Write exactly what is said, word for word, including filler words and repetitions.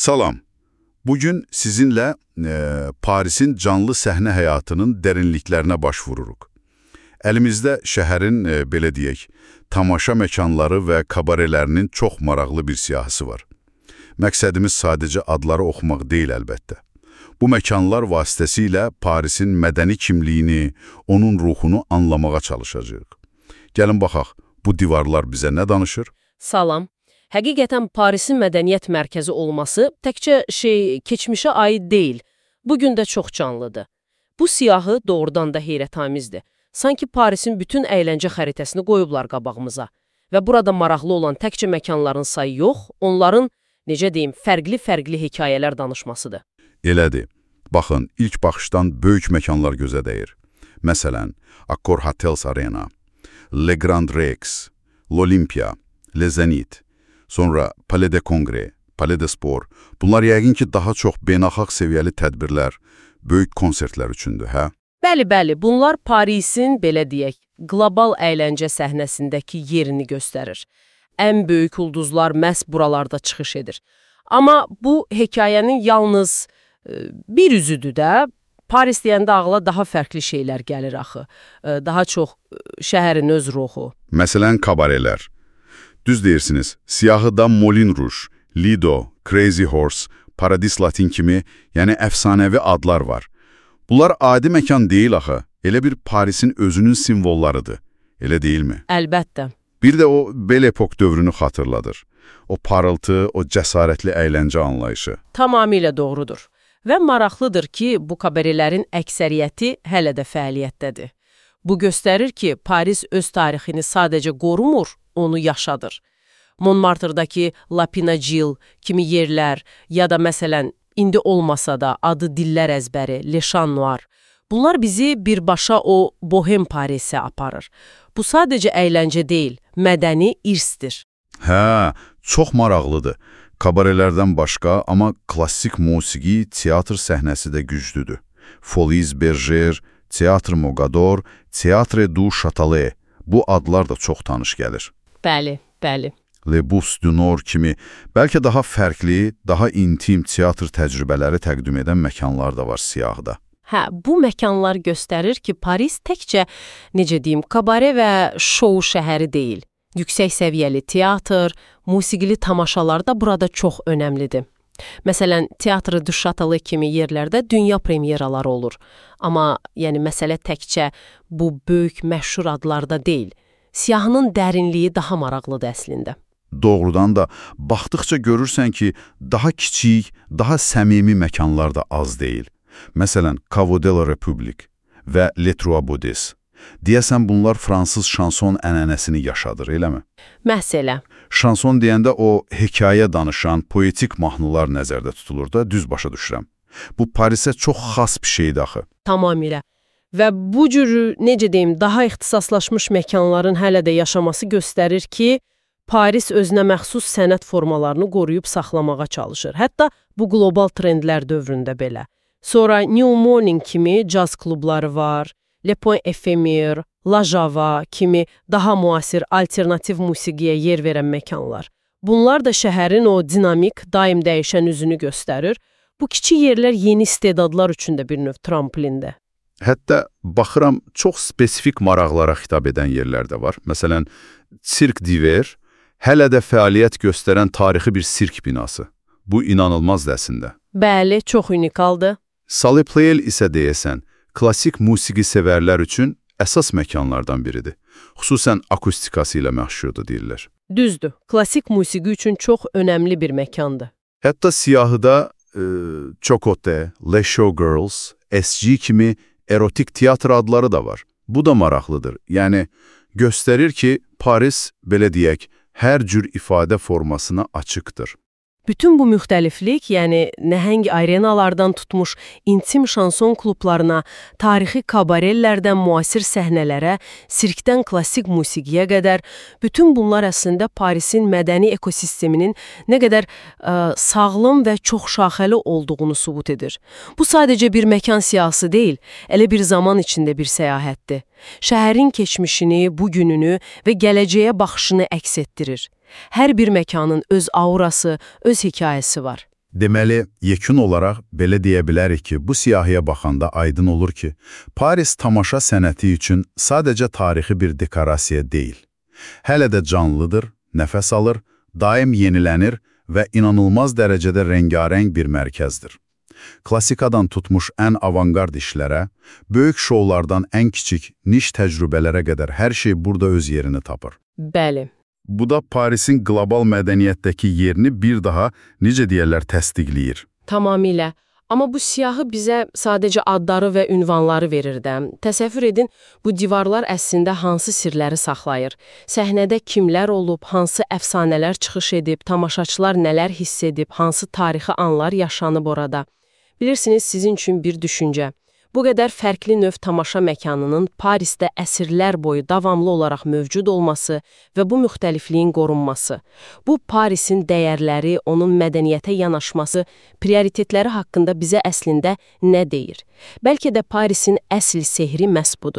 Salam. Bugün sizinlə e, Parisin canlı səhnə həyatının dərinliklərinə baş vururuq. Əlimizdə şəhərin, e, belə deyək, tamaşa məkanları və kabarelərinin çox maraqlı bir siyahısı var. Məqsədimiz sadəcə adları oxumaq deyil əlbəttə. Bu məkanlar vasitəsilə Parisin mədəni kimliyini, onun ruhunu anlamağa çalışacağıq. Gəlin baxaq, bu divarlar bizə nə danışır? Salam. Həqiqətən Parisin mədəniyyət mərkəzi olması təkcə şey, keçmişə aid deyil, bugün də çox canlıdır. Bu siyahı doğrudan da heyrətamizdir. Sanki Parisin bütün əyləncə xəritəsini qoyublar qabağımıza. Və burada maraqlı olan təkcə məkanların sayı yox, onların, necə deyim, fərqli-fərqli hekayələr danışmasıdır. Elədir. Baxın, ilk baxışdan böyük məkanlar gözə dəyir. Məsələn, Accor Hotels Arena, Le Grand Rex, l'Olympia, Le Zenit, sonra Palais de Congrès, Palais de Sport. Bunlar yəqin ki, daha çox beynəlxalq səviyyəli tədbirlər, böyük konsertlər üçündür, hə? Bəli, bəli, bunlar Parisin, belə deyək, qlobal əyləncə səhnəsindəki yerini göstərir. Ən böyük ulduzlar məhz buralarda çıxış edir. Amma bu hekayənin yalnız e, bir üzüdür də. Paris deyəndə ağla daha fərqli şeylər gəlir axı. E, daha çox e, şəhərin öz ruhu. Məsələn, kabarelər. Düz deyirsiniz, siyahıda Moulin Rouge, Lido, Crazy Horse, Paradis Latin kimi, yəni əfsanəvi adlar var. Bunlar adi məkan deyil axı, elə bir Parisin özünün simvollarıdır, elə deyilmi? Əlbəttə. Bir də o bel epok dövrünü xatırladır. O parıltı, o cəsarətli əyləncə anlayışı. Tamamilə doğrudur. Və maraqlıdır ki, bu kabarelerin əksəriyyəti hələ də fəaliyyətdədir. Bu göstərir ki, Paris öz tarixini sadəcə qorumur, onu yaşadır. Montmartre'dakı La Pinagille kimi yerlər ya da məsələn, indi olmasa da adı dillər əzbəri, Le Chat Noir. Bunlar bizi birbaşa o bohem Parisə aparır. Bu sadəcə əyləncə deyil, mədəni irsdir. Hə, çox maraqlıdır. Kabarelərdən başqa, amma klassik musiqi, teatr səhnəsi də güclüdür. Folies Bergère, Teatr Mogador, Teatre du Châtelet. Bu adlar da çox tanış gəlir. Bəli, bəli. Le Bus du Nord kimi, bəlkə daha fərqli, daha intim teatr təcrübələri təqdim edən məkanlar da var siyahıda. Hə, bu məkanlar göstərir ki, Paris təkcə, necə deyim, kabare və şou şəhəri deyil. Yüksək səviyyəli teatr, musiqili tamaşalar da burada çox önəmlidir. Məsələn, Teatr du Châtelet kimi yerlərdə dünya premyeraları olur. Amma yəni məsələ təkcə bu böyük məşhur adlarda deyil. Siyahının dərinliyi daha maraqlıdır əslində. Doğrudan da baxdıqca görürsən ki, daha kiçik, daha səmimi məkanlar da az deyil. Məsələn, Caveau de la République və Les Trois Baudes. Deyəsən bunlar fransız şanson ənənəsini yaşadır, eləmi? Məhz elə. Şanson deyəndə o hekayə danışan, poetik mahnılar nəzərdə tutulur da, düz başa düşürəm. Bu Parisə çox xas bir şeydir axı. Tamamilə. Və bu cürü, necə deyim, daha ixtisaslaşmış məkanların hələ də yaşaması göstərir ki, Paris özünə məxsus sənət formalarını qoruyub saxlamağa çalışır. Hətta bu qlobal trendlər dövründə belə. Sonra New Morning kimi caz klubları var, Le Point Ephémère, La Java kimi daha müasir alternativ musiqiyə yer verən məkanlar. Bunlar da şəhərin o dinamik, daim dəyişən üzünü göstərir. Bu kiçik yerlər yeni istedadlar üçün də bir növ tramplində. Hətta baxıram, çox spesifik maraqlara xitab edən yerlər də var. Məsələn, Cirque d'Hiver hələ də fəaliyyət göstərən tarixi bir sirk binası. Bu inanılmazdır əslində. Bəli, çox unikaldır. Salle Pleyel isə deyəsən, klassik musiqi sevərlər üçün əsas məkanlardan biridir. Xüsusən akustikası ilə məşhurdur deyirlər. Düzdür, klassik musiqi üçün çox önəmli bir məkandır. Hətta siyahıda e, Chocote, Les Showgirls, S G kimi erotik teatr adları da var. Bu da maraqlıdır. Yəni, göstərir ki, Paris, belə deyək, hər cür ifadə formasına açıqdır. Bütün bu müxtəliflik, yəni nəhəng arenalardan tutmuş intim şanson klublarına, tarixi kabarellərdən müasir səhnələrə, sirkdən klassik musiqiyə qədər, bütün bunlar əslində Parisin mədəni ekosisteminin nə qədər ə, sağlam və çox şaxəli olduğunu sübut edir. Bu sadəcə bir məkan siyahısı deyil, elə bir zaman içində bir səyahətdir. Şəhərin keçmişini, bugününü və gələcəyə baxışını əks etdirir. Hər bir məkanın öz aurası, öz hekayəsi var. Deməli, yekun olaraq belə deyə bilərik ki, bu siyahıya baxanda aydın olur ki, Paris tamaşa sənəti üçün sadəcə tarixi bir dekorasiya deyil. Hələ də canlıdır, nəfəs alır, daim yenilənir və inanılmaz dərəcədə rəngarəng bir mərkəzdir. Klassikadan tutmuş ən avangard işlərə, böyük şoulardan ən kiçik, niş təcrübələrə qədər hər şey burada öz yerini tapır. Bəli. Bu da Parisin qlobal mədəniyyətdəki yerini bir daha, necə deyərlər, təsdiqləyir. Tamamilə. Amma bu siyahı bizə sadəcə adları və ünvanları verir də. Təsəvvür edin, bu divarlar əslində hansı sirləri saxlayır? Səhnədə kimlər olub, hansı əfsanələr çıxış edib, tamaşaçılar nələr hiss edib, hansı tarixi anlar yaşanıb orada? Bilirsiniz, sizin üçün bir düşüncə. Bu qədər fərqli növ tamaşa məkanının Parisdə əsrlər boyu davamlı olaraq mövcud olması və bu müxtəlifliyin qorunması, bu Parisin dəyərləri, onun mədəniyyətə yanaşması, prioritetləri haqqında bizə əslində nə deyir? Bəlkə də Parisin əsl sehri məhz budur.